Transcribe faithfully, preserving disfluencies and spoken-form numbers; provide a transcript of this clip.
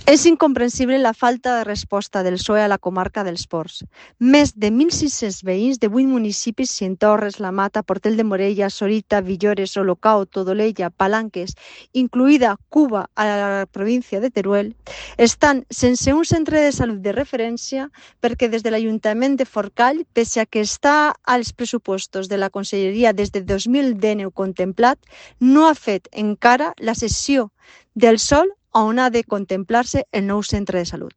És incomprensible la falta de resposta del P S O E a la comarca dels Ports. Més de mil sis-cents veïns de vuit municipis, Cientorres, La Mata, Portell de Morella, Sorita, Villores, Olocau, Todolella, Palanques, incluïda Cuba a la província de Teruel, estan sense un centre de salut de referència perquè des de l'Ajuntament de Forcall, pese a que està als pressupostos de la Conselleria des de dos mil dinou contemplat, no ha fet encara la cessió del sòl on ha de contemplar-se el nou centre de salut.